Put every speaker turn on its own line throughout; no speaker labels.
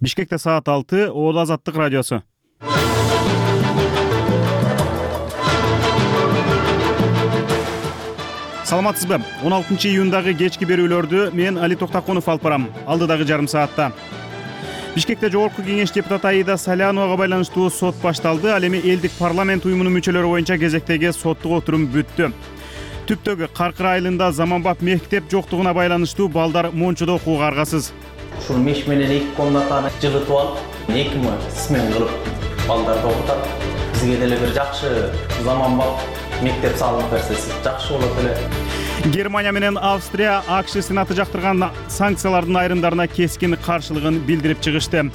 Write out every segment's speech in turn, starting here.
Бишкекте саат 6, Ооба Азаттык радиосу. Саламатсызбы? 16 июндагы кечки берүүлөрдү мен Али Токтакунов алып барам. Алдыдагы жарым саатта. Бишкекте Жогорку кеңеш депутаты Аида Саляновага байланыштуу сот башталды. Ал эми элдик парламент уюмунун мүчөлөрү боюнча кезектеги соттук отурум бүттү. Түптөгү Каркыр айылында заманбап мектеп жоктугуна байланыштуу балдар мончудо окууга аргасыз.
Ушул меш менен 2 комнатаны жылытып алып, 2 смен кылып балдарды окутат. Бизге деле бир жакшы заманбап мектеп салынып берсе жакшы болот эле.
Германия менен Австрия АКШ Сенаты жактырган санкциялардын айрымдарына кескин каршылыгын билдирип чыгышты.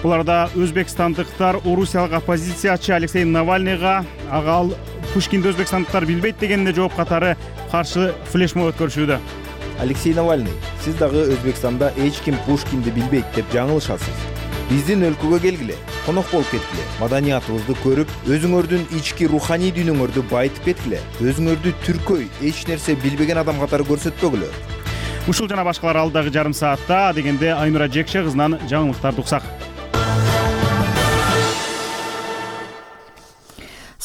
Буларда өзбекстандыктар орусиялык оппозициячы Алексей Навальныйга ал Пушкинди өзбекстандыктар билбейт дегенине жооп катары каршы флешмоб өткөрүшүүдө.
Алексей Навальный, сиз дагы Өзбекстанда эч ким Пушкинди билбейт деп жаңылышасыз. Биздин өлкөгө келгиле, конок болуп кеткиле, маданиятыбызды көрүп, өзүңөрдүн ички руханий дүйнөңөрдү байытып кеткиле, өзүңөрдү түркөй, эч нерсе билбеген адам катары көрсөтпөгүлө.
Ушул жана башкалар алдагы жарым саатта, дегенде Айнура Жекше кызынан жаңылыктарды уксак.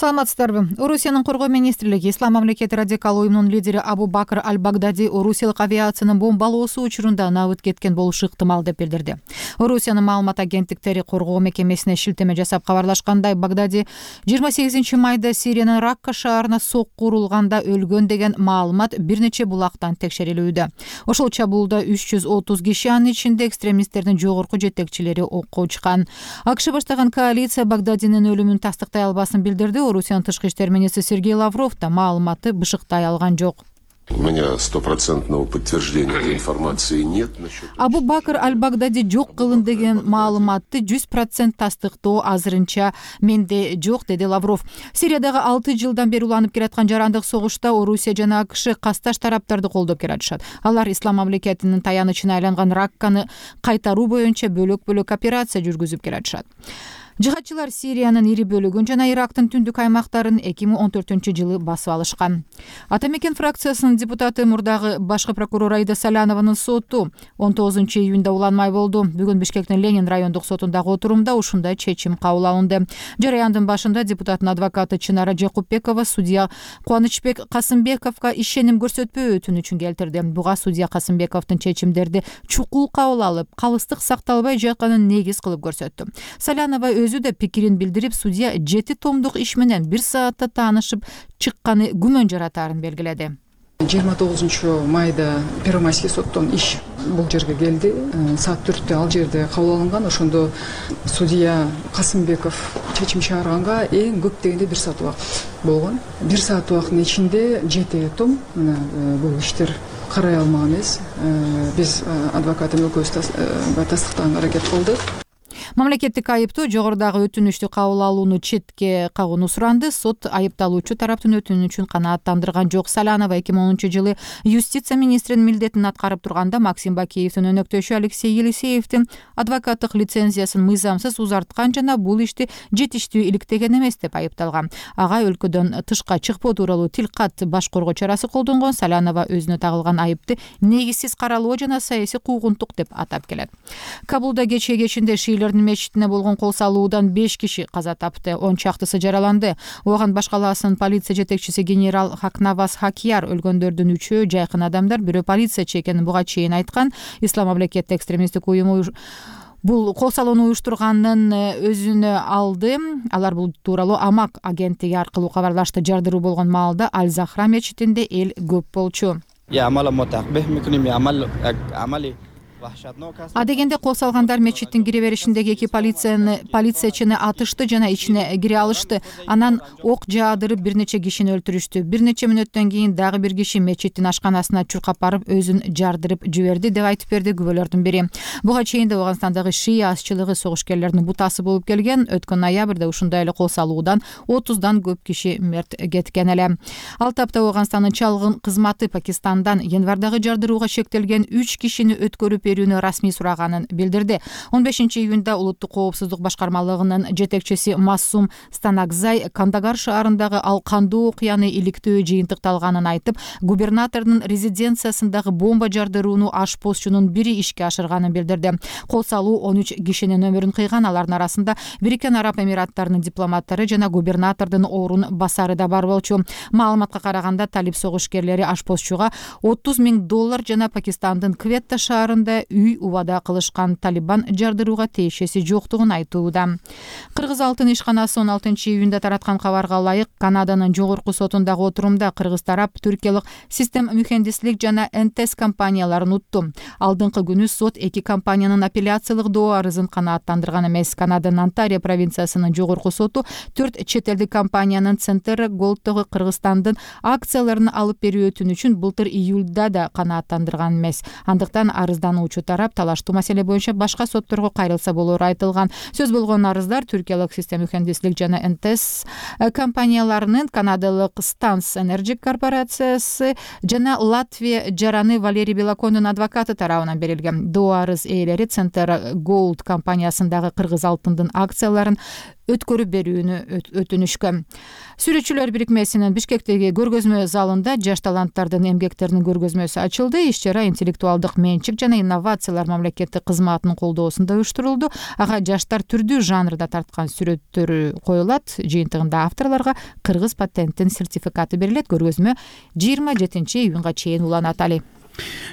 Саламатсыздарбы? Орусиянын коргоо министрлиги Ислам мамлекети радикал уюмунун лидери Абу Бакр аль-Багдади орусиялык авиациянын бомбалоосу учурунда набыт кеткен болушу ыктымал деп билдирди. Орусиянын маалымат агенттиктери коргоо мекемесине шилтеме жасап кабарлашкандай, Багдади 28 майда Сириянын Ракка шаарына сокку урулганда өлгөн деген маалымат бир нече булактан текшерилүүдө. Ошол чабуулда 330 киши, анын ичинде экстремисттердин жогорку жетекчилери окко учкан. АКШ баштаган коалиция Багдадинин өлүмүн тастыктай албасын билдирди. Орусиянын тышкы иштер министри Сергей Лавров да маалыматты бышыктай алган жок.
У меня 100% подтверждения этой информации нет.
Абу Бакр аль-Багдади жок кылын деген маалыматты 100% тастыктоо азырынча менде жок, деди Лавров. Сириядагы 6 жылдан бери уланып келаткан жарандык согушта Орусия жана АКШ касташ тараптарды колдоп келатышат. Алар Ислам мамлекетинин таянычына айланган Ракканы кайтаруу боюнча бөлөк-бөлөк операция жүргүзүп келатышат. Жыхатчылар Сириянын ири бөлүгүн жана Ирактын түндүк аймактарын 2014-жылы басып алышкан. Ата мекен фракциясынын депутаты мурдагы башкы прокурор Аида Салянованын соту 19 июнда уланмай болду. Бүгүн Бишкектин Ленин райондук сотундагы отурумда ушундай чечим кабыл алынды. Жараяндын башында депутаттын адвокаты Чынара Жакупбекова судья Кубанычбек Касымбековго ишеним көрсөтпөө өтүнүчүн келтирди. Буга судья Касымбековдун чечимдерди чукул кабыл алып, калыстык сакталбай жатканын негиз кылып көрсөттү. Салянова өзү да пикирин билдирип, судья 7 томдук иш менен 1 саатта таанышып чыкканы күмөн жаратаарын белгиледи.
29 майда Первомайский соттон иш бул жерге келди. Саат 4-тө ал жерде кабыл алынган. Ошондо судья Касымбеков чечим чыгарганга эң көп дегенде 1 саат убакыт болгон. 1 саат убакыттын ичинде 7 том бул иштер карай алмаган эмес. Биз адвокатым экөөбүз тастыктаганга аракет кылдык.
Мамлекеттик айыптуу жогорудагы өтүнүштү кабыл алууну четке кагууну суранды. Сот айыпталуучу тараптын өтүнүчүн канааттандырган жок. Салянова 2010-жылы юстиция министринин милдетин аткарып турганда Максим Бакиевдин өнөктөшү Алексей Елисеевдин адвокаттык лицензиясын мыйзамсыз узарткан жана бул ишти жетиштүү иликтеген эмес деп айыпталган. Ага өлкөдөн тышка чыкпоо тууралуу тилкат баш коргоо чарасы колдонгон. Салянова өзүнө тагылган айыпты негизсиз каралоо жана саясий куугунтук деп атап келет. Кабулда кечинде шиилердин мечитине болгон кол салуудан 5 киши каза тапты, 10 чактысы жараланды. Оған башкаласын полиция жетекчиси генерал Хакнаваз Хакияр өлгөндөрдүн 3-өө жайкын адамдар, бирөө полициячы экенин буга чейин айткан. Ислам мамлекети экстремисттик уюму бул кол салууну уюштурганын өзүнө алды. Алар бул тууралуу Амак агенттиги аркылуу кабарлашты. Жардыруу болгон маалда Аль-Захра мечитинде эл көп болчу. Адегенде кол салгандар мечиттин кире беришиндеги 2 полициячыны атышты жана ичине кире алышты. Анан ок жаадырып бир нече кишини өлтүрүштү. Бир нече мүнөттөн кийин дагы бир киши мечиттин ашканасына чуркап барып өзүн жардырып жиберди деп айтып берди күбөлөрдүн бири. Буга чейин Ооганстандагы шия азчылыгы согушкерлердин бутасы болуп келген. Өткөн ноябрда ушундай эле кол салуудан 30дан көп киши мерт кеткен эле. Ал тапта Ооганстандын чалгын кызматы Пакистандан январдагы жардырууга шектелген 3 кишини өткөрүп берүүнү расмий сураганын билдирди. 15-июнда улуттук коопсуздук башкармалыгынын жетекчиси Массум Станакзай Кандагар шаарындагы ал кандуу окуяны иликтөө жыйынтыкталганын айтып, губернатордун резиденциясындагы бомба жардырууну ашпозчунун бири ишке ашырганын билдирди. Кол салуу 13 кишинин өмүрүн кыйган, алардын арасында Бириккен Араб Эмираттарынын дипломаттары жана губернатордун орун басары да бар болчу. Маалыматка караганда, талип согушкерлери ашпозчуга $30,000 жана Пакистандын Кветта шаарында үй убада кылышкан. Талибан жардырууга тиешеси жоктугун айтууда. Кыргыз алтын ишканасы 16-июнда тараткан кабарга ылайык, Канаданын жогорку сотундагы отурумда кыргыз тарап түркиялык Систем Mühendislik жана НТС компанияларын утту. Алдыңкы күнү сот эки компаниянын апелляциялык доо арызын канааттандырган эмес. Канаданын Онтарио провинциясынын жогорку соту 4 чет элдик компаниянын Центр Голдтогу Кыргызстандын акцияларын алып берүү өтүнүчүн былтыр июлда да канааттандырган эмес. Андыктан арыздануучу тарап талаштуу маселе боюнча башка сотторго кайрылса болору айтылган. Сөз болгон арыздар түркиялык Систем Mühendislik жана НТС компанияларынын, канадалык Станс Energy корпорациясы жана Латвия жараны Валерий Белокондун адвокаты тарабынан берилген. Доо арыз ээлери Центр Голд компаниясындагы кыргыз алтындын акцияларын өткөрүп берүүнү өтүнүшкөн. Сүрөтчүлөр бирикмесинин Бишкектеги көргөзмө залында жаш таланттардын эмгектеринин көргөзмөсү ачылды. Иш-чара интеллектуалдык менчик жана инновациялар мамлекеттик кызматынын колдоосунда уюштурулду. Ага жаштар түрдүү жанрда тарткан сүрөттөрү коюлат. Жыйынтыгында авторлорго кыргыз патенттин сертификаты берилет. Көргөзмө 27-июнга чейин уланат. Али.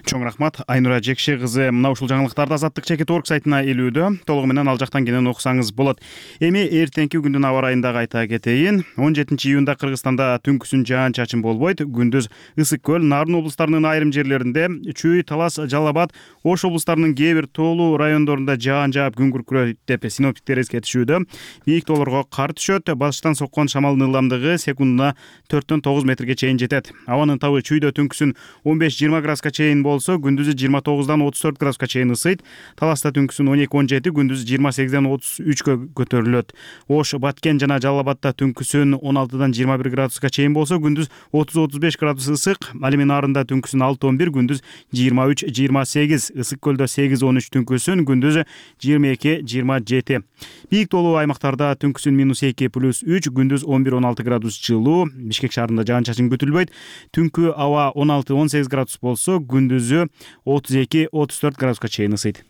Чоң рахмат. Айнура Жекше кызы мына ушул жаңылыктарды Азаттык Чекит.org сайтына илүүдө. Толугу менен ал жактан кенен окусаңыз болот. Эми эртеңки күндүн аба райындагы айта кетейин. 17-июнда Кыргызстанда түнкүсүн жаан-чачын болбойт. Күндүз Ысык көл, Нарын облустарынын айрым жерлеринде, Чүй, Талас, Жалал Абад, Ош облустарынын кээ бир тоолуу райондорунда жаан жаап күн күркүрөйт деп синоптиктер эскертишүүдө. Бийик тоолорго кар түшөт. Батыштан соккон шамалдын ылдамдыгы секундуна 4-9 метрге чейин жетет. Абанын табы Чүйдө түнкүсүн 15-20 градуска чейин болсо, күндүзү 29-34 градуска чейин ысыйт. Таласта түнкүсүн 12-17, күндүзү 28-33гө көтөрүлөт. Ош, Баткен жана Жалал Абадта түнкүсүн 16-21 градуска чейин болсо, күндүз 30-35 градус ысык. Ал эми Нарында түнкүсүн 6-11, күндүз 23-28, Ысык көлдө 8-13 түнкүсүн, күндүзү 22-27. Бийик тоолуу аймактарда түнкүсүн -2+3, күндүз 11-16 градус жылуу. Бишкек шаарында жаан-чачын күтүлбөйт. Түнкү аба 16-18 градус болсо, күндүзү 32-34 градуска чейин ысыйт.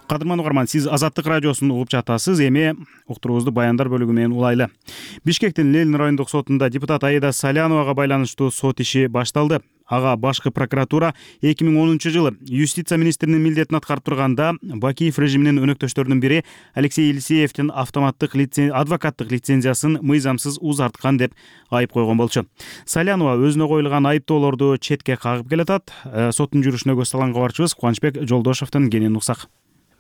Кадырман угарман, сиз Азаттык радиосун угуп жатасыз. Эми уктуруубузду баяндар бөлүгү менен улайлы. Бишкектин Ленин райондук сотунда депутат Аида Саляновага байланыштуу сот иши башталды. Ага башкы прокуратура 2010-жылы юстиция министринин милдетин аткарып турганда Бакиев режиминин өнөктөштөрүнүн бири Алексей Елисеевдин автоматтык адвокаттык лицензиясын мыйзамсыз узарткан деп айып койгон болчу. Салянова өзүнө коюлган айыптоолорду четке кагып келатат. Соттун жүрүшүнө көз салган кабарчыбыз Кубанычбек Жолдошовдун кенен уксак.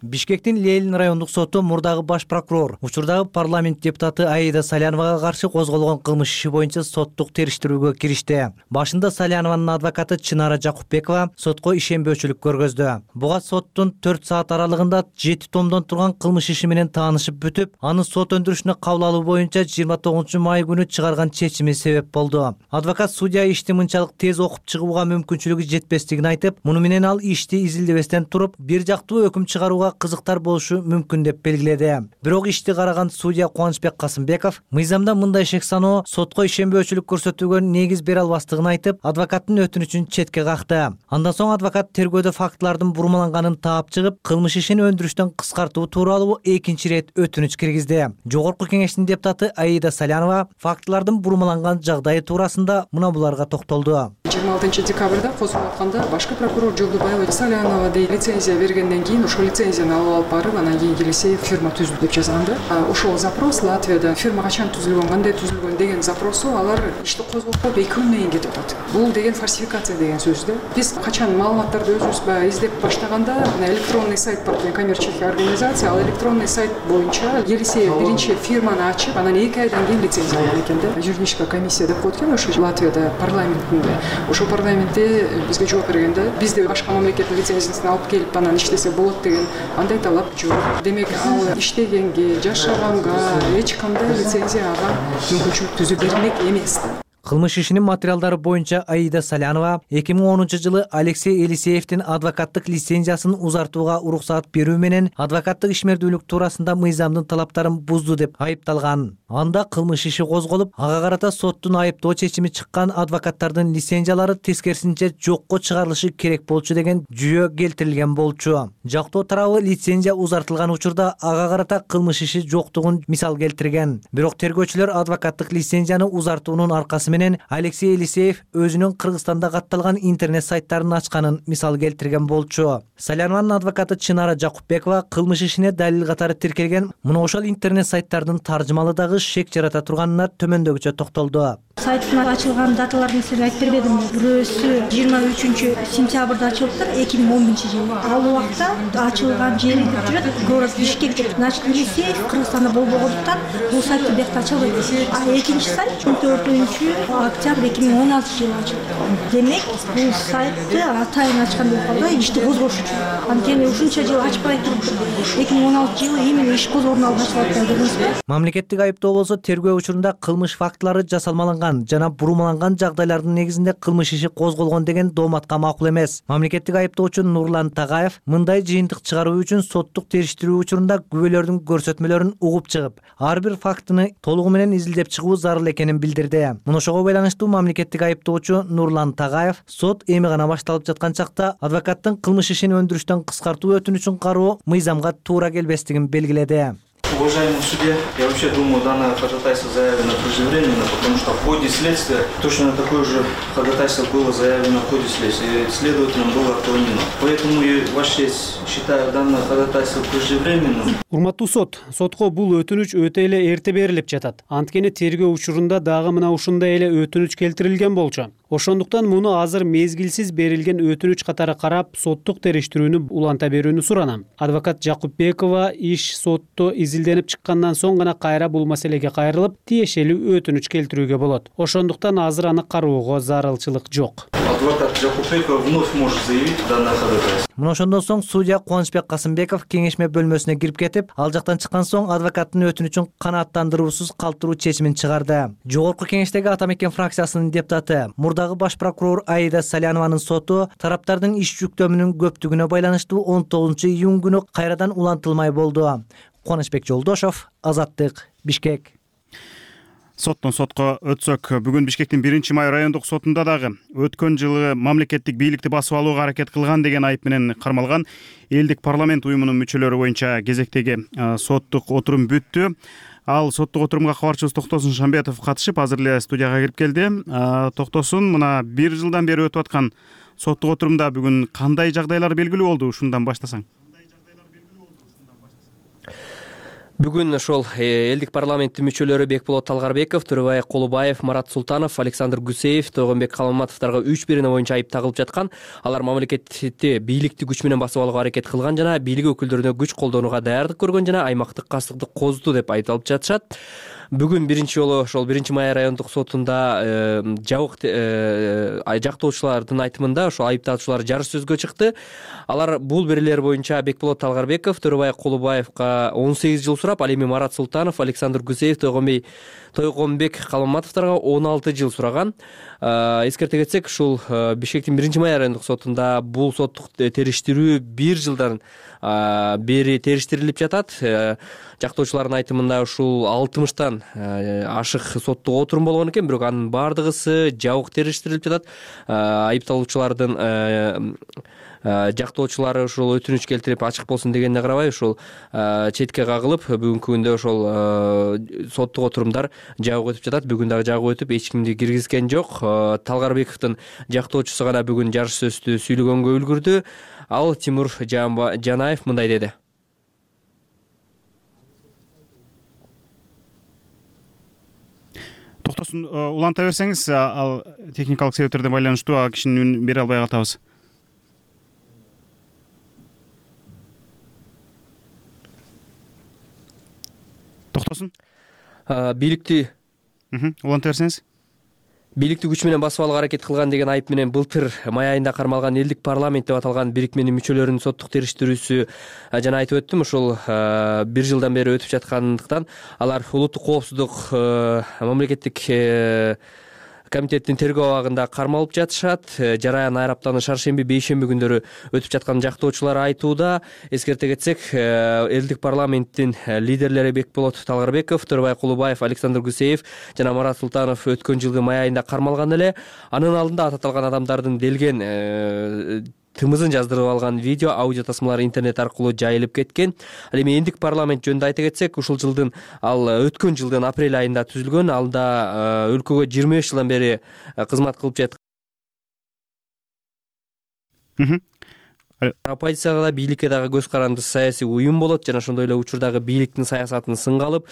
Бишкектин Ленин райондук соту мурдагы баш прокурор, учурдагы парламент депутаты Аида Саляновага каршы козголгон кылмыш иши боюнча соттук териштирүүгө киришти. Башында Салянованын адвокаты Чынара Жакупбекова сотко ишенбөөчүлүк көргөздү. Буга соттун 4 саат аралыгында 7 томдон турган кылмыш иши менен таанышып бүтүп, аны сот өндүрүшүнө кабыл алуу боюнча 29-май күнү чыгарган чечими себеп болду. Адвокат судья ишти мынчалык тез окуп чыгууга мүмкүнчүлүгү жетпестигин айтып, муну менен ал ишти изилдебестен туруп, бир жактуу өкүм чыгарууга кызыктар болушу мүмкүн деп белгиледи. Бирок ишти караган судья Кубанычбек Касымбеков мыйзамда мындай шек саноо сотко ишенбөөчүлүк көрсөтүүгө негиз бере албастыгын айтып, адвокаттын өтүнүчүн четке какты. Андан соң адвокат тергөөдө фактылардын бурмаланганын таап чыгып, кылмыш ишин өндүрүштөн кыскартуу тууралуу экинчи ирет өтүнүч киргизди. Жогорку кеңештин депутаты Аида Салянова фактылардын бурмаланган жагдайы туурасында мына буларга токтолду.
26 декабрда козголуп атканда башкы прокурор Жолдубаева Салянова лицензия бергенден кийин ошол лицензияны алып барып, анан кийин Елисеев фирма түздү деп жазганда, ошол запрос Латвияда фирма качан түзүлгөн, кандай түзүлгөн деген запросу алар ишти козгоп 2 күндөн кийин кетип атат. Бул деген фальсификация деген сөз да. Биз качан маалыматтарды өзүбүз баягы издеп баштаганда, электронный сайт бар, коммерческая организация, ал электронный сайт боюнча Елисеев биринчи фирманы ачып, анан 2 айдан кийин лицензия алган экен да. Юридическая комиссия деп коет экен ошо Латвияда парламентинде. ошо парламентте бизге жооп бергенде бизди башка мамлекеттин лицензиясына алып келип анан иштесе болот деген андай талап жок. Демек ал иштегенге, жашаганга эч кандай лицензияга мүмкүнчүлүк түзүп бермек эмес.
Кылмыш ишинин материалдары боюнча Аида Салянова 2010-жылы Алексей Елисеевдин адвокаттык лицензиясын узартууга уруксаат берүү менен адвокаттык ишмердүүлүк туурасында мыйзамдын талаптарын бузду деп айыпталган. Анда кылмыш иши козголуп, ага карата соттун айыптоо чечими чыккан адвокаттардын лицензиялары тескерисинче жокко чыгарылышы керек болчу деген жүйө келтирилген болчу. Жактоо тарабы лицензия узартылган учурда ага карата кылмыш иши жоктугун мисал келтирген. Бирок тергөөчүлөр адвокаттык лицензияны узартуунун аркасы менен Алексей Елисеев өзүнүн Кыргызстанда катталган интернет сайттарын ачканын мисал келтирген болчу. Салянованын адвокаты Чынара Жакупбекова кылмыш ишине далил катары тиркелген мына ошол интернет сайттардын таржымалы дагы шек жарата турганына төмөндөгүчө токтолду.
Сайттын ачылган даталарын сиз айтып бербедимби? Бирөөсү 23-сентябрда ачылыптыр, 2011-жылы. Ал убакта ачылган жери деп жүрөт, город Бишкек деп. Значит, Елисеев Кыргызстанда болбогондуктан бул сайтты бекте ачылбайт. А экинчи сайт 14-октябрь 2016-жылы ачылды. Демек, бул сайтты атайын ачкан болуп калды, ишти козгош үчүн. Анткени ушунча жыл ачпай туруптур. 2016-жылы именно иш козгоонун алдын ачылып бердиңизби?
Мамлекеттик айыптоо болсо тергөө учурунда кылмыш фактылары жасалмаланган жана бурмаланган жагдайлардын негизинде кылмыш иши козголгон деген дооматка макул эмес. Мамлекеттик айыптоочу Нурлан Тагаев мындай жыйынтык чыгаруу үчүн соттук териштирүү учурунда күбөлөрдүн көрсөтмөлөрүн угуп чыгып, ар бир фактыны толугу менен изилдеп чыгуу зарыл экенин билдирди. Мына ошого байланыштуу мамлекеттик айыптоочу Нурлан Тагаев сот эми гана башталып жаткан чакта адвокаттын кылмыш ишин өндүрүштөн кыскартуу өтүнүчүн кароо мыйзамга туура келбестигин белгиледи.
Уважаемый судья, я вообще думаю, данное ходатайство заявлено преждевременно, потому что в ходе следствия точно такое же ходатайство было заявлено в ходе следствия, и следователем было отклонено. Поэтому, Ваша честь, считаю данное ходатайство преждевременным.
Урматтуу сот, сотко бул өтүнүч өтө эле эрте берилип жатат. Анткени тергөө учурунда дагы мына ушундай эле өтүнүч келтирилген болчу. Ошондуктан муну азыр мезгилсиз берилген өтүнүч катары карап, соттук териштирүүнү уланта берүүнү суранам. Адвокат Жакупбекова иш сотто изилденип чыккандан соң гана кайра бул маселеге кайрылып, тиешелүү өтүнүч келтирүүгө болот. Ошондуктан азыр аны кароого зарылчылык жок.
Адвокат Жакупбекова вновь может заявить данное ходатайство.
Мына ошондон соң судья Кубанычбек Касымбеков кеңешме бөлмөсүнө кирип кетип, ал жактан чыккан соң адвокаттын өтүнүчүн канааттандыруусуз калтыруу чечимин чыгарды. Жогорку кеңештеги Атамекен фракциясынын депутаты, мурдагы баш прокурор Аида Салянованын соту тараптардын иш жүктөмүнүн көптүгүнө байланыштуу 19-июнь күнү кайрадан улантылмай болду. Кубанычбек Жолдошов, Азаттык, Бишкек.
Соттон сотко өтсөк, бүгүн Бишкектин 1-май райондук сотунда дагы өткөн жылы мамлекеттик бийликти басып алууга аракет кылган деген айып менен кармалган элдик парламент уюмунун мүчөлөрү боюнча кезектеги соттук отурум бүттү. Ал соттук отурумга кабарчыбыз Токтосун Шамбетов катышып, азыр эле студияга кирип келди. Токтосун, мына 1 жылдан бери өтүп аткан соттук отурумда бүгүн кандай жагдайлар белгилүү болду? Ушундан баштасаң.
Бүгүн ошол элдик парламенттин мүчөлөрү Бекболот Талгарбеков, Төрөбай Колубаев, Марат Султанов, Александр Гусеев, Тойгонбек Калматовторго 3 бирина боюнча айып тагылып жаткан. Алар мамлекетти бийликти күч менен басып алууга аракет кылган жана бийлик өкүлдөрүнө күч колдонууга даярдык көргөн жана аймактык кастыкты козду деп айтылып жатышат. Бүгүн биринчи жолу ошол 1-май райондук сотунда жабык жактоочулардын айтымында ошол айыптаучулар жарыш сөзгө чыкты. Алар бул берилер боюнча Бекболот Талгарбеков, Төрөбай Колубаевга 18 жыл сурап, ал эми Марат Султанов, Александр Гусеев, Тойгонбек Калматовторго 16 жыл сураган. Эскерте кетсек, ушул Бишкектин 1-май райондук сотунда бул соттук териштирүү 1 жылдан бери териштирилип жатат. Жактоочулардын айтымында ушул 60тан ашык соттук отурум болгон экен, бирок анын бардыгысы жабык териштирилип жатат. Айыпталуучулардын жактоочулары ушул өтүнүч келтирип ачык болсун дегенине карабай ушул четке кагылып, бүгүнкү күндө ошол соттук отурумдар жабык өтүп жатат. Бүгүн дагы жабык өтүп, эч кимди киргизген жок. Талгарбековдун жактоочусу гана бүгүн жарыш сөздү сүйлөгөнгө үлгүрдү. Ал Тимур Жанаев мындай деди.
Токтосун, уланта берсеңиз, ал техникалык себептерден байланыштуу кишинин үнүн бере албай калабыз. Токтосун.
Бийликти
уланта берсеңиз.
бийликти күч менен басып алууга аракет кылган деген айып менен былтыр май айында кармалган элдик парламент деп аталган бирикменин мүчөлөрүнүн соттук териштирүүсү жана айтып өттүм ушул 1 жылдан бери өтүп жаткандыктан алар улуттук коопсуздук мамлекеттик комитеттин тергөө абагында кармалып жатышат. Жараян айраптаны шаршемби, бейшемби күндөрү өтүп жаткан жактоочулар айтууда. Эскерте кетсек, элдик парламенттин лидерлери Бекболот Талгарбеков, Төрөбай Кулубаев, Александр Гусеев жана Марат Султанов өткөн жылдын май айында кармалган эле. Анын алдында аталган адамдардын делген тымызын жаздырып алган видео, аудио тасмалар интернет аркылуу жайылып кеткен. Ал эми элдик парламент жөнүндө айта кетсек, ушул жылдын өткөн жылдын апрель айында түзүлгөн. Алда өлкөгө 25 жылдан бери кызмат кылып жаткан оппозицияга да, бийликке дагы көз карандысыз саясий уюм болот жана ошондой эле учурдагы бийликтин саясатын сынга алып,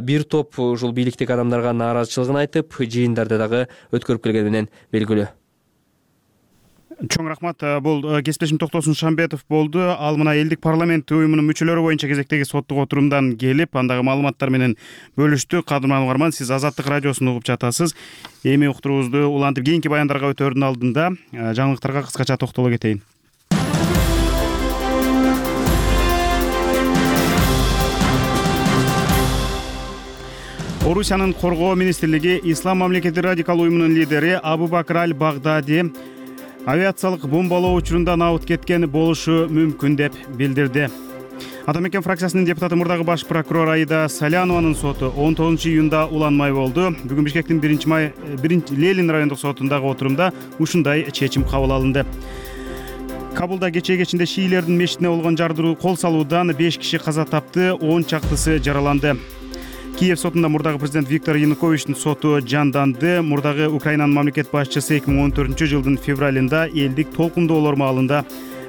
бир топ ушул бийликтеги адамдарга нааразычылыгын айтып, жыйындарды дагы өткөрүп келгени менен белгилүү.
Чоң рахмат. Бул кесиптешим Токтосун Шамбетов болду. Ал мына элдик парламент уюмунун мүчөлөрү боюнча кезектеги соттук отурумдан келип, андагы маалыматтар менен бөлүштү. Кадырман угарман, сиз Азаттык радиосун угуп жатасыз. Эми уктуруубузду улантып кийинки баяндарга өтөөрдүн алдында жаңылыктарга кыскача токтоло кетейин. Орусиянын коргоо министрлиги Ислам мамлекети радикал уюмунун лидери Абу Бакр аль-Багдади авиациялык бомбалоо учурунда набыт кеткен болушу мүмкүн деп билдирди. Ата мекен фракциясынын депутаты мурдагы баш прокурор Аида Салянованын соту 19-июнда уланмай болду. Бүгүн Бишкектин 1 Ленин райондук сотундагы отурумда ушундай чечим кабыл алынды. Кабулда кечээ шиилердин мечитине болгон жардыруу кол салуудан 5 киши каза тапты, 10 чактысы жараланды. Киев сотунда мурдагы президент Виктор Януковичтин соту жанданды. Мурдагы Украинанын мамлекет башчысы 2014-жылдын февралында элдик толкундоолор маалында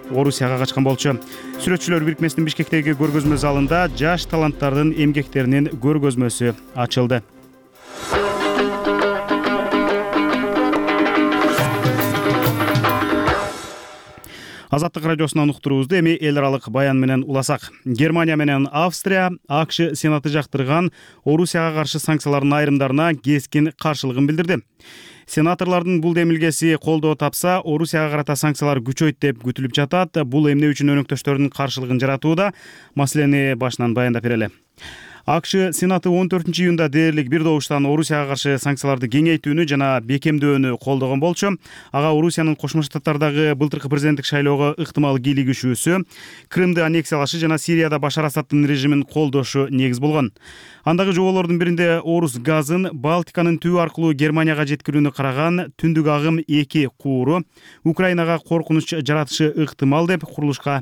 Орусияга качкан болчу. Сүрөтчүлөр бирикмесинин Бишкектеги көргөзмө залында жаш таланттардын эмгектеринин көргөзмөсү ачылды. Азаттык радиосунан уктуруубузду эми эл аралык баян менен уласак. Германия менен Австрия АКШ Сенаты жактырган Орусияга каршы санкциялардын айрымдарына кескин каршылыгын билдирди. Сенаторлордун бул демилгеси колдоо тапса, Орусияга карата санкциялар күчөйт деп күтүлүп жатат. Бул эмне үчүн өнөктөштөрдүн каршылыгын жаратууда? Маселени башынан баяндап берели. АКШ Сенаты 14-июнда дээрлик бир добуштан Орусияга каршы санкцияларды кеңейтүүнү жана бекемдөөнү колдогон болчу. Ага Орусиянын Кошмо Штаттардагы былтыркы президенттик шайлоого ыктымал кийлигишүүсү, Крымды аннексиялашы жана Сирияда Башар Асаддын режимин колдошу негиз болгон. Андагы жоболордун биринде Орус газын Балтиканын түбү аркылуу Германияга жеткирүүнү караган түндүк агым 2 кууру Украинага коркунуч жаратышы ыктымал деп курулушка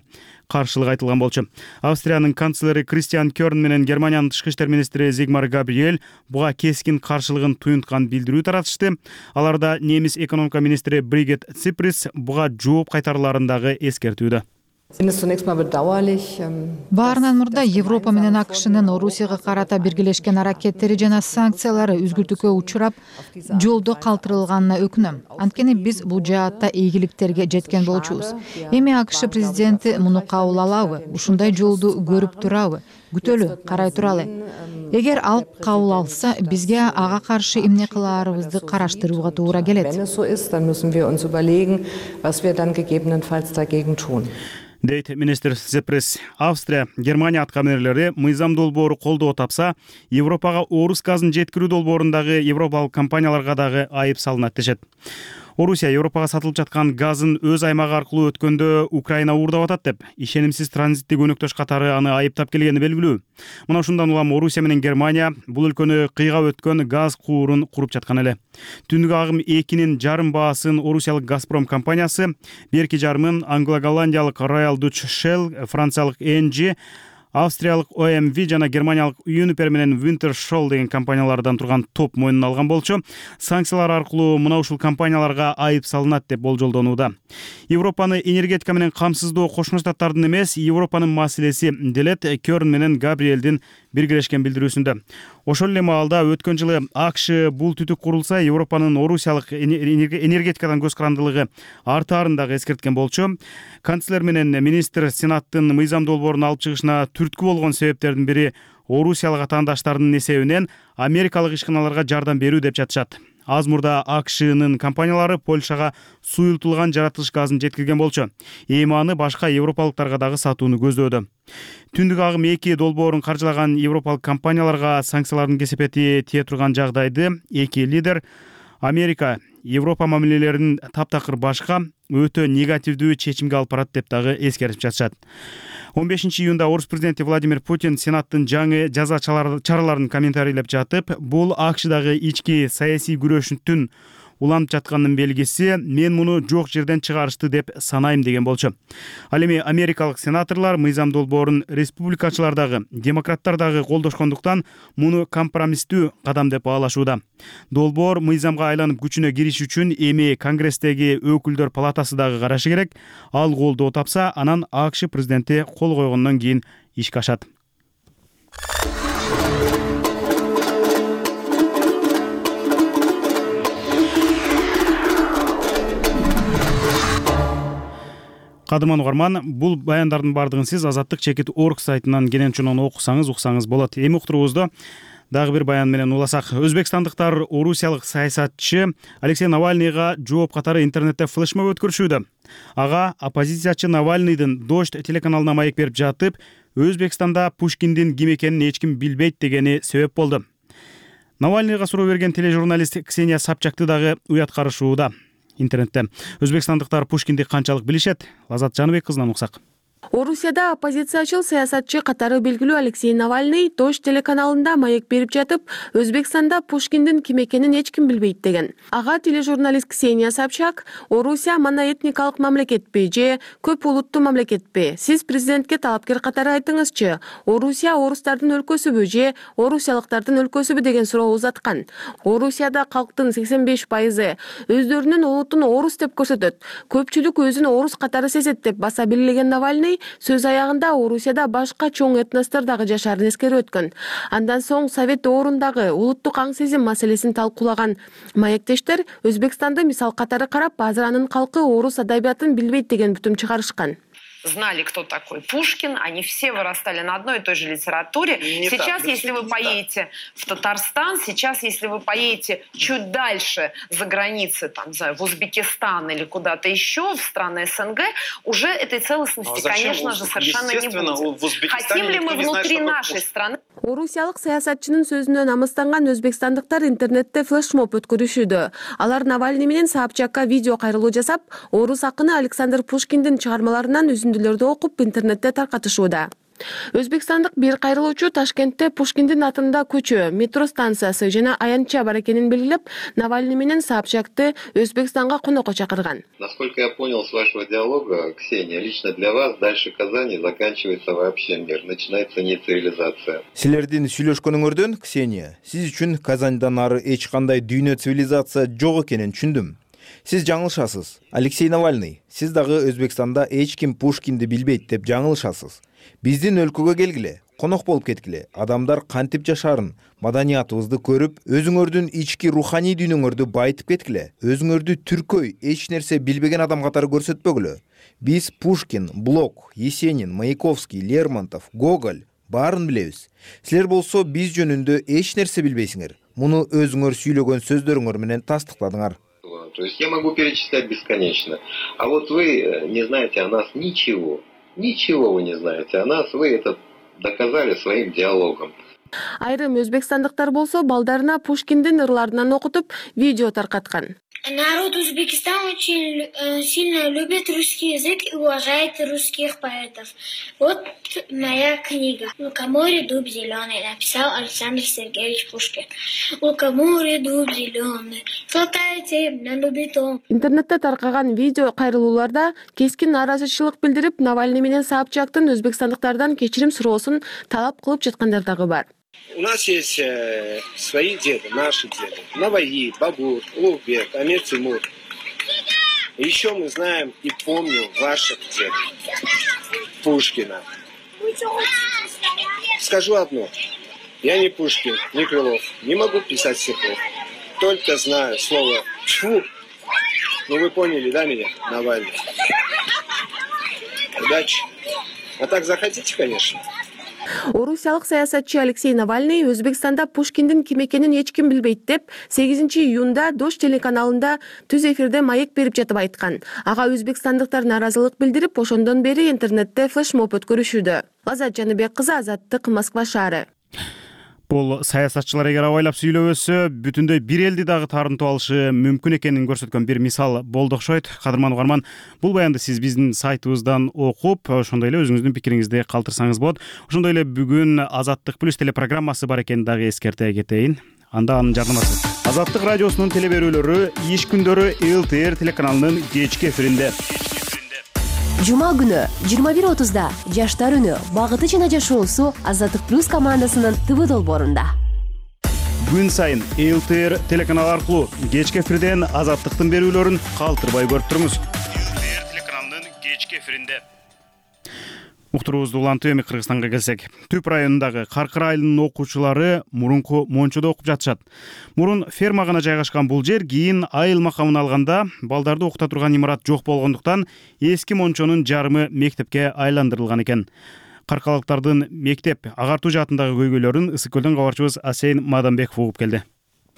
каршылык айтылган болчу. Австриянын канцлери Кристиан Кёрн менен Германиянын тышкы иштер министри Зигмар Габриэль буга кескин каршылыгын туюнткан билдирүү таратышты. Аларда немис экономика министри Бригит Циприс буга жооп кайтаруларын дагы эскертүүдө.
Баарынан мурда Европа менен АКШнын Орусияга карата биргелешкен аракеттери жана санкциялары үзгүлтүккө учурап, жолдо калтырылганына өкүнөм. Анткени биз бул жаатта ийгиликтерге жеткен болчубуз. Эми АКШ президенти муну кабыл алабы? Ушундай жолду көрүп турабы? Күтөлү, карай туралы. Эгер ал кабыл алса, бизге ага каршы эмне кылаарыбызды караштырууга туура келет.
Дейт министр Циприс. Австрия, Германия аткаминерлери мыйзам долбоору колдоо тапса, Европага Орус газын жеткирүү долбоорундагы европалык компанияларга дагы айып салынат дешет. Орусия Европага сатылып жаткан газын өз аймагы аркылуу өткөндө Украина уурдап атат деп, ишенимсиз транзиттик өнөктөш катары аны айыптап келгени белгилүү. Мына ушундан улам Орусия менен Германия бул өлкөнү кыйгап өткөн газ куурун куруп жаткан эле. Түндүк агым 2-нин жарым баасын орусиялык Газпром компаниясы, берки жарымын англо-голландиялык Royal Dutch Shell, франциялык ENGIE, австриялык OMV жана германиялык Uniper менен Wintershall деген компаниялардан турган топ мойнуна алган болчу. Санкциялар аркылуу мына ушул компанияларга айып салынат деп болжолдонууда. Европаны энергетика менен камсыздоо Кошмо Штаттардын эмес, Европанын маселеси делет Кёрн менен Габриэлдин биргелешкен билдирүүсүндө. Ошол эле маалда өткөн жылы АКШ бул түтүк курулса, Европанын Орусиялык энергетикадан көз карандылыгы артаарын дагы эскерткен болчу. Канцлер менен министр Сенаттын мыйзам долбоорун алып чыгышына түрткү болгон себептердин бири Орусиялык атаандаштардын эсебинен америкалык ишканаларга жардам берүү деп жатышат. аз мурда АКШнын компаниялары Польшага суюлтулган жаратылыш газын жеткирген болчу. Эми аны башка европалыктарга дагы сатууну көздөөдө. Түндүк агым 2 долбоорун каржылаган европалык компанияларга санкциялардын кесепети тие турган жагдайды эки лидер Америка Европа мамилелерин таптакыр башка өтө негативдүү чечимге алып барат деп дагы эскерип жатышат. 15 июнда орус президенти Владимир Путин Сенаттын жаңы жаза чараларын комментарийлеп жатып, бул АКШдагы ички саясий күрөшүнүн уланып жатканын белгиси, мен муну жок жерден чыгарышты деп санайм деген болчу. Ал эми америкалык сенаторлор мыйзам долбоорун республикачылар дагы, демократтар дагы колдошкондуктан муну компромисстүү кадам деп баалашууда. Долбоор мыйзамга айланып күчүнө кириш үчүн эми Конгресстеги өкүлдөр палатасы дагы карашы керек. Ал колдоо тапса, анан АКШ президенти кол койгондон кийин ишке ашат. Кадырман угарман, бул баяндардын бардыгын сиз Азаттык чекит.org сайтынан кенен уксаңыз болот. Эми уктуруубузду дагы бир баян менен уласак. Өзбекстандыктар орусиялык саясатчы Алексей Навальныйга жооп катары интернетте флешмоб өткөрүшүүдө. Ага оппозициячы Навальныйдын Дождь телеканалына маек берип жатып, Өзбекстанда Пушкиндин ким экенин эч ким билбейт дегени себеп болду. Навальныйга суроо берген тележурналист Ксения Собчакты дагы уят карышууда. Интернетте өзбекстандыктар Пушкинди канчалык билишет? Лазат Жаныбек кызынан уксак.
Орусияда оппозициячыл саясатчы катары белгилүү Алексей Навальный Дождь телеканалында маек берип жатып, Өзбекстанда Пушкиндин ким экенин эч ким билбейт деген. Ага тележурналист Ксения Собчак, Орусия моноэтникалык мамлекетпи же көп улуттуу мамлекетпи? Сиз президентке талапкер катары айтыңызчы. Орусия орустардын өлкөсүбү же орусиялыктардын өлкөсүбү деген суроо узаткан. Орусияда калктын 85% өздөрүнүн улутун орус деп көрсөтөт. Көпчүлүк өзүн орус катары сезет деп баса белгилеген Навальный сөз аягында Орусияда башка чоң этностор дагы жашаарын эскерип өткөн. Андан соң Совет доорундагы улуттук аң сезим маселесин талкуулаган маектештер Өзбекстанды мисал катары карап, азыр анын калкы орус адабиятын билбейт деген бүтүм чыгарышкан.
Знали, кто такой Пушкин, они все вырастали на одной и той же литературе. Сейчас, если вы поедете в Татарстан, сейчас, если вы поедете чуть дальше за границы, там, в Узбекистан или куда-то еще, в страны СНГ, уже этой целостности, конечно же, совершенно не будет. Хотим ли мы внутри нашей страны?
Орусиялык саясатчынын сөзүнө намыстанган өзбекстандыктар интернетте флешмоб өткөрүшүүдө. Алар Навальный менен Собчакка видео кайрылуу жасап, орус акыны Александр Пушкиндин чыгармаларынан үзүндүлөрдү окуп интернетте таркатышууда. Өзбекстандык бир кайрылуучу Ташкентте Пушкиндин атында көчө, метро станциясы жана аянтча бар экенин белгилеп, Навальный менен Собчакты Өзбекстанга конокко чакырган.
Насколько я понял с вашего диалога, Ксения, лично для вас дальше Казани заканчивается вообще мир, начинается не цивилизация.
Силердин сүйлөшкөнүңөрдөн, Ксения, сиз үчүн Казаньдан ары эч кандай дүйнө цивилизация жок экенин түшүндүм. Сиз жаңылышасыз. Алексей Навальный, сиз дагы Өзбекстанда эч ким Пушкинди билбейт деп жаңылышасыз. Биздин өлкөгө келгиле, конок болуп кеткиле. Адамдар кантип жашаарын, маданиятыбызды көрүп, өзүңөрдүн ички руханий дүйнөңөрдү байытып кеткиле. Өзүңөрдү түркөй, эч нерсе билбеген адам катары көрсөтпөгүлө. Биз Пушкин, Блок, Есенин, Маяковский, Лермонтов, Гоголь баарын билебиз. Силер болсо биз жөнүндө эч нерсе билбейсиңер. Муну өзүңөр сүйлөгөн сөздөрүңөр менен тастыктадыңар.
То есть я могу перечислять бесконечно. А вот вы не знаете о нас ничего. Ничего вы не знаете о нас. Вы это доказали своим диалогом.
Айрым өзбекстандыктар болсо балдарына Пушкиндин ырларынан окутуп видео таркаткан.
Народ Узбекистана очень сильно любит русский язык и уважает русских поэтов. Вот моя книга. «Лукоморье, дуб зеленый», написал Александр Сергеевич Пушкин. «Лукоморье, дуб зеленый, золотая темня любит он».
Интернетте таркаган видео кайрылууларда кескин нааразычылык билдирип, Навальный менен Собчактын өзбекстандыктардан кечирим суроосун талап кылып жаткандар дагы бар.
У нас есть свои деды, наши деды. Наваи, Бабур, Улугбек, Амир Тимур. Еще мы знаем и помним ваших дедов. Пушкина. Скажу одно. Я не Пушкин, не Крылов. Не могу писать стихов. Только знаю слово «тьфу». Ну вы поняли, да, меня, Навальный? Удачи. А так захотите, конечно.
Орусиялык саясатчы Алексей Навальный Өзбекстанда Пушкиндин ким экенин эч ким билбейт деп 8 июнда Дождь телеканалында түз эфирде маек берип жатып айткан. Ага өзбекстандыктар нааразылык билдирип, ошондон бери интернетте флешмоб өткөрүшүүдө. Азат Жаныбек кызы, Азаттык, Москва шаары.
Бул саясатчылар эгер абайлап сүйлөбөсө, бүтүндөй бир элди дагы таарынтып алышы мүмкүн экенин көрсөткөн бир мисал болду окшойт. Кадырман угарман, бул баянды сиз биздин сайтыбыздан окуп, ошондой эле өзүңүздүн пикириңизди калтырсаңыз болот. Ошондой эле бүгүн Азаттык плюс телепрограммасы бар экенин дагы эскерте кетейин. Анда анын жардамасы. Азаттык радиосунун телеберүүлөрү иш күндөрү ЛТР телеканалынын кечки эфиринде.
Жума күнү 21:30 Жаштар үнү, багыты жана жашоосу Азаттык плюс командасынын ТВ долбоорунда.
Күн сайын ЛТР телеканалы аркылуу кечки эфирден Азаттыктын берүүлөрүн калтырбай көрүп туруңуз. ЛТР телеканалынын кечки эфиринде. Уктуруубузду улантып эми Кыргызстанга келсек. Түп районундагы Каркыр айылынын окуучулары мурунку Мончодо окуп жатышат. Мурун ферма гана жайгашкан бул жер кийин айыл макамына алганда балдарды окута турган имарат жок болгондуктан эски Мончонун жарымы мектепке айландырылган экен. Каркалыктардын мектеп агартуу жаатындагы көйгөйлөрүн Ысык көлдөн кабарчыбыз Асейн Маданбеков угуп келди.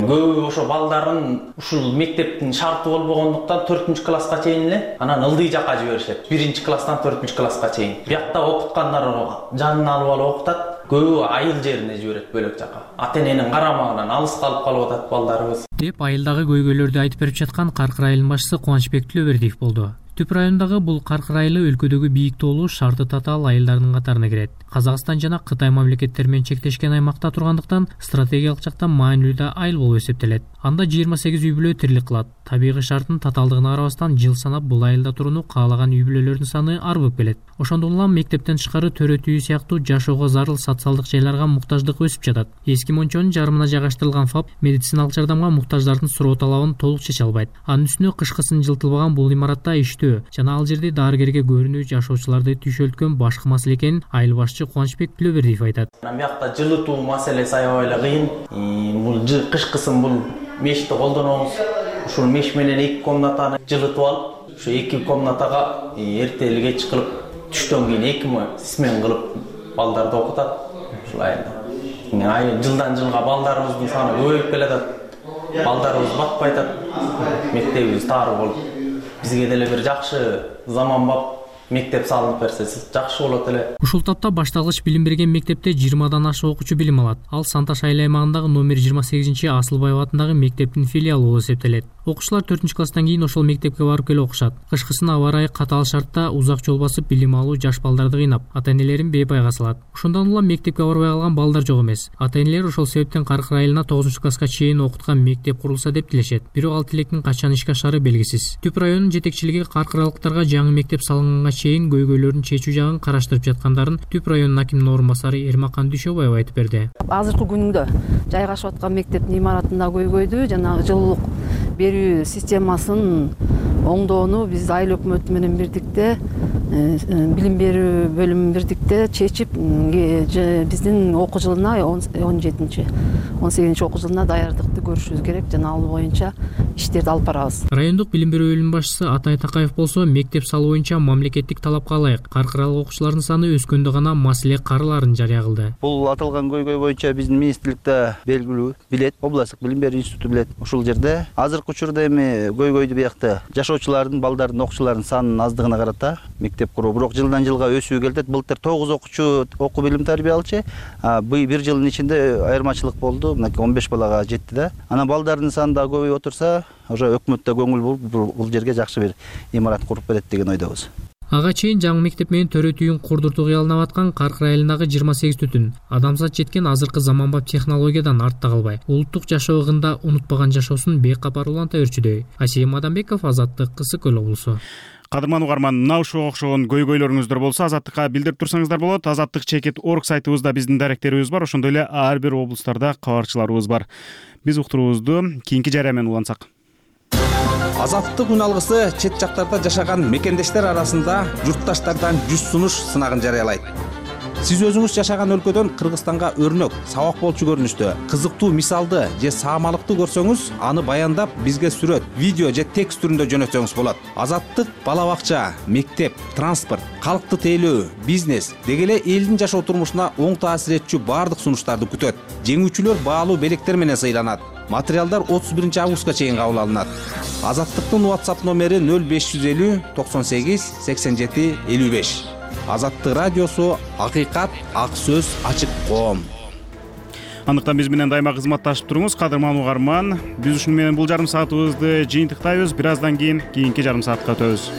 Көбү ошо балдарын ушул мектептин шарты болбогондуктан 4-класска чейин эле анан ылдый жакка жиберишет. 1-класстан 4-класска чейин. Биякта окуткандар жанына алып окутат. Көбү айыл жерине жиберет, бөлөк жакка. Ата-эненин карамагынан алыс калып атат балдарыбыз.
Деп айылдагы көйгөйлөрдү айтып берип жаткан Каркыр айылынын башчысы Кубанычбек Түлөбердиев болду. Түп райондагы бул Каркыр айылы өлкөдөгү бийик тоолуу шарты татаал айылдардын катарына кирет. Казакстан жана Кытай мамлекеттери менен чектешкен аймакта тургандыктан стратегиялык жактан маанилүү айыл болуп эсептелет. Анда 28 үй бүлө тирилик кылат. Табигый шарттын татаалдыгына карабастан жыл санап бул айылда турууну каалаган үй бүлөлөрдүн саны арбып келет. Ошондон улам мектептен тышкары төрөт үй сыяктуу жашоого зарыл социалдык жайларга муктаждык өсүп жатат. Эски Мончонун жарымына жайгаштырылган ФАП медициналык жардамга муктаждардын суроо талабын толук чече албайт. Анын үстүнө кышкысын жылтылбаган бул имаратта иштөө жана ал жерде дарыгерге көрүнүү жашоочуларды түйшөлткөн башкы маселе экенин айыл башчы Кубанычбек Түлөбердиев айтат.
Биякта жылытуу маселеси аябай эле кыйын. Бул кышкысын бул мешти колдонобуз. Ушул меш менен 2 комнатаны жылытып алып, ушу 2 комнатага эртели кеч кылып, түштөн кийин 2 смен кылып балдарды окутат. Ушул айылда. Айыл жылдан жылга балдарыбыздын саны көбөйүп келатат. Балдарыбыз батпай атат. Мектебибиз тары болуп. Бизге деле бир жакшы заманбап мектеп салынып берсе жакшы болот эле.
Ушул тапта башталгыч билим берген мектепте 20 ашык окуучу билим алат. Ал Санташ айыл аймагындагы номер 28 Асылбаев атындагы мектептин филиалы болуп эсептелет. Окуучулар 4-класстан кийин ошол мектепке барып келип окушат. Кышкысын аба ырайы катаал шартта узак жол басып билим алуу жаш балдарды кыйнап, ата-энелерин бейпайга салат. Ошондон улам мектепке барбай калган балдар жок эмес. Ата-энелер ошол себептен Каркыр айылына 9-класска чейин окуткан мектеп курулса деп тилешет. Бирок ал тилектин качан ишке ашары белгисиз. Түп районунун жетекчилиги каркыралыктарга жаңы мектеп салынганга чейин көйгөйлөрүн чечүү жагын караштырып жаткандарын Түп районунун акиминин орун басары Эрмакан Дүйшөбаева айтып берди.
Азыркы күндө жайгашып аткан мектептин имаратында көйгөйдү жана жылуулук берүү системасын оңдоону биз айыл өкмөтү менен бирдикте билим берүү бөлүмү бирдикте чечип биздин окуу жылына 18 окуу жылына даярдыкты көрүшүбүз керек жана ал боюнча иштерди алып барабыз.
Райондук билим берүү бөлүмүнүн башчысы Атай Такаев болсо мектеп салуу боюнча мамлекеттик талапка ылайык каркыралык окуучулардын саны өскөндө гана маселе караларын жарыя кылды.
Бул аталган көйгөй боюнча биздин министрликте белгилүү билет, областтык билим берүү институту билет. Ушул жерде азыркы учурда эми көйгөйдү биякта жашоочулардын, балдардын, окуучулардын санынын аздыгына карата мектеп куруу. Бирок жылдан жылга өсүү келет. Былтыр 9 окуучу окуу билим тарбия алчу. Бир жылдын ичинде айырмачылык болду. Мына 15 балага жетти да. Анан балдардын саны да көбөйүп отурса, уже өкмөттө көңүл болуп бул жерге жакшы бир имарат куруп берет деген ойдобуз.
Ага чейин жаңы мектеп менен төрөт үйүн курдуртуу кыялына аткан Каркыр айылындагы 28 түтүн адамзат жеткен азыркы заманбап технологиядан артта калбай, улуттук жашоо ыгында унутпаган жашоосун бейкапар уланта өрчүдөй. Асейин Маданбеков, Азаттык, Ысык көл облусу.
Кадырман угарман, мына ушуга окшогон көйгөйлөрүңүздөр болсо Азаттыкка билдирип турсаңыздар болот. Azattik.org сайтыбызда биздин даректерибиз бар, ошондой эле ар бир облустарда кабарчыларыбыз бар. Биз уктуруубузду кийинки жарыя менен улантсак.
Азаттык үн алгысы чет жактарда жашаган мекендештер арасында журтташтардан жүз сунуш сынагын жарыялайт. Сиз өзүңүз жашаган өлкөдөн Кыргызстанга өрнөк, сабак болчу көрүнүштө кызыктуу мисалды же саамалыкты көрсөңүз, аны баяндап бизге сүрөт, видео же текст түрүндө жөнөтсөңүз болот. Азаттык бала бакча, мектеп, транспорт, калкты тейлөө, бизнес деги эле элдин жашоо турмушуна оң таасир этчү баардык сунуштарды күтөт. Жеңүүчүлөр баалуу белектер менен сыйланат. Материалдар 31 августка чейин кабыл алынат. Азаттыктын WhatsApp номери 0550 98 87 55. Азаттык радиосу акыйкат, ак сөз, ачык коом.
Андыктан биз менен дайыма кызматташып туруңуз, кадырман угарман. Биз ушуну менен бул жарым саатыбызды жыйынтыктайбыз. Бир аздан кийин кийинки жарым саатка өтөбүз.